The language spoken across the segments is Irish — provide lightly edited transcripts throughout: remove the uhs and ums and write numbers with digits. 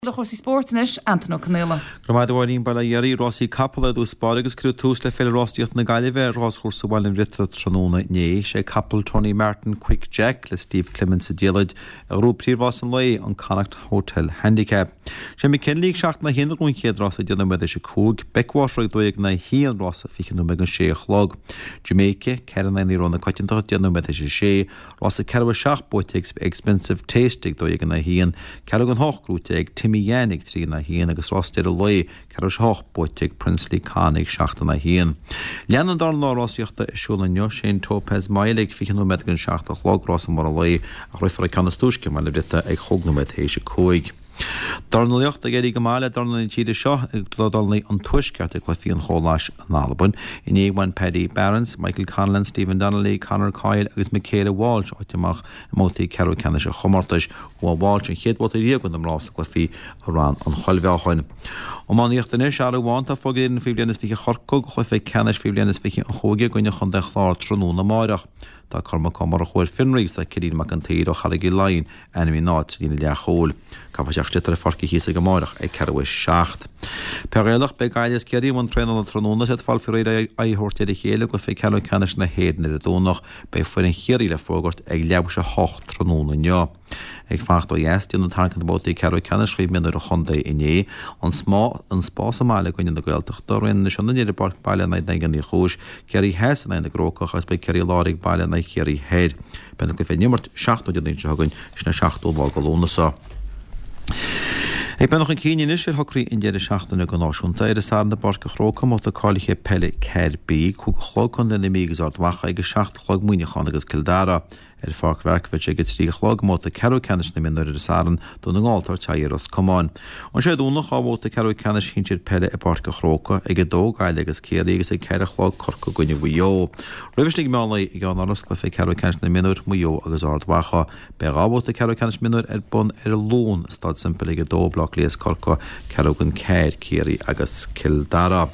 Le cúrsaí spóirt anois, Antain Ó Conaola. Go raibh maith agat a Mháirín, Bail ó Dhia oraibh, Rásaí capall ar dtús báire agus cuireadh tús le Féile Rásaíochta na Gaillimhe ar Ráschúrsa Bhaile an Bhriotaigh tráthnóna inné. Sé capall Tony Martin, Quick Jack, le Steve Clements sa diallait, a ghnóthaigh príomhrás an lae, an Connacht Hotel Handicap. Sé McKinley ag 7 in aghaidh 1 a ghnóthaigh an chéad rás ag 10 nóiméad théis 5, Beckwater ag 12 in aghaidh 1, rás 20 nóiméad don 6 a chlog. Jamaica, 4 in aghaidh 9 rogha na coitiantachta, 10 nóiméad théis 6, Rás a ceathrú a 7 buaite ag Expensive Taste ag 12 in aghaidh 1, ceathrú don hocht gnóite ag Timmy Yan ag 3 in aghaidh 1 agus rás deireadh lae, ceathrú théis a hocht buaite ag Princely Con ag 7 in aghaidh 1. Leanann an dara lá rásaíochta ar siúl inniu, sé an Topaz Mile ag 20 nóiméad don 7 a chlog, rás mór an lae, ach rithfear an ceann is túisce i mBaile an Bhriotaigh ag chúig nóiméad théis a 5. Dornálaíocht Ag éirí go maith le dornálaithe na tíre seo ag dornálaithe an Tuaiscirt ag Cluichí an Chomhlachais in Albain. Inné bhain Paddy Barrons, Michael Conlan, Stephen Donnelly, Conor Coyle agus Michaela Walsh áit amach i mbabhtaí ceathrú ceannais an chomórtais. Bhuaigh Walsh an chéad bhabhta riamh do na mná sna cluichí i Rann an Choilbheáchain. Iománaíocht Anois, athrú amháin atá fógartha d'fhoireann faoi bhliain is 20 Chorcaí do chluiche ceannais faoi bhliain is 20 an chúige i gcoinne Chontae an Chláir tráthnóna amáireach. Tá Cormac Ó Murchú ar fionraí agus tá Cillian Mac an tSaoir ó Charraig Uí Leighin ainmnithe ina áit sa líne leathchúil. Caithfear isteach sliotar ar Pháirc Uí Chíosóg amárach ag ceathrú théis 7. Peil Ghaelach, Beidh Gaillimh is Ciarraí i mbun traenála tráthnóna is iad ag fáil faoi réir aghaidh a thabhairt ar a chéile i gcluiche ceathrú ceannais na hÉireann ar an Domhnach. Beidh foireann Chiarraí le fógairt ag leathuair théis a hocht tráthnóna inniu. Ag fanacht ó dheas, déanadh tarraingt ar na babhtaí ceathrú ceannais chraobh mionúir an chontae inné. An Spás i mBaile i gcoinne na Gaeltachta, Raon na Sionainne ar an bPáirc Baile in aghaidh Daingean Uí Chúis, Ciarraí Theas in aghaidh na gCrócach agus beidh Ciarraí Láir ag baile in aghaidh Chiarraí Thoir. Beidh na cluichí á n-imirt seachtain ó Dé Domhnaigh seo chugainn, sin an 7ú lá de Lúnasa. Ag breathnú chun cinn anois ar shocruithe an deireadh seachtaine go náisiúnta, ar an Satharn i bPáirc an Chrócaigh, i mbabhta cáilithe peile 4B, 5 a chlog, Contae na Mí agus Ard Mhacha, ag 7 a chlog Muineachán agus Cill Dara. Ar Pháirc Mharkievicz ag 3 a chlog i mbabhta ceathrú ceannais na mionúr ar an Satharn, Dún na nGall ag tabhairt aghaidh ar Ros Comáin. Ansin Dé Domhnaigh, 2 bhabhta ceathrú ceannais shinsir peile i bPáirc an Chrócaigh, ag 2 Gaillimh agus Ciarraí agus ag 4 a chlog Corcaigh i gcoinne Mhaigh Eo. Roimhe sin ag meán lae i gCeannáras, cluiche ceathrú ceannais na mionúr, Maigh Eo agus Ard Mhacha. Beidh 2 bhabhta ceathrú ceannais mionúir ar bun ar an Luan i Staid Semple ag 2, Baile Átha Cliath is Corcaigh, ceathrú don ceathair, Ciarraí agus Cill Dara.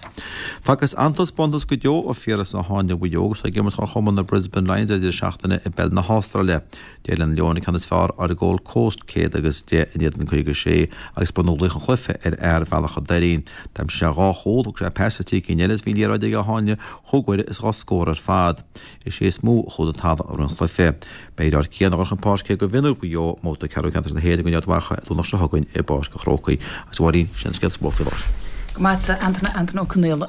Facthas an-taispeántas go deo ó Phiaras Ó Háinle Mhaigh Eo agus é ag imirt do chumann na Brisbane Lions ar deireadh seachtaine i bpeil na hAstráile. D'éirigh le na Leoin an ceann is fearr ar an Gold Coast, 110 in éadan 56, agus ba nó laoch an chluiche ar fhear Bhealach an Doirín. D'aimsigh sé 2 chúl, thug sé pas do thrí cinn eile agus bhí an liathróid ag Ó Háinle chúig uaire is dhá scór ar fad. Is é is mó a chuaigh den talamh i rith an chluiche. Beidh a dheartháir Cian ag dul chun páirce do mhionúir Mhaigh Eo i mbabhta ceathrú ceannais na hÉireann i gcoinne Ard Mhacha an Domhnach seo chugainn i bPáirc an Chrócaigh. Agus a Mháirín, sin an scéal is mó faoi láthair. Go maith, Antain, Antain Ó Conaola.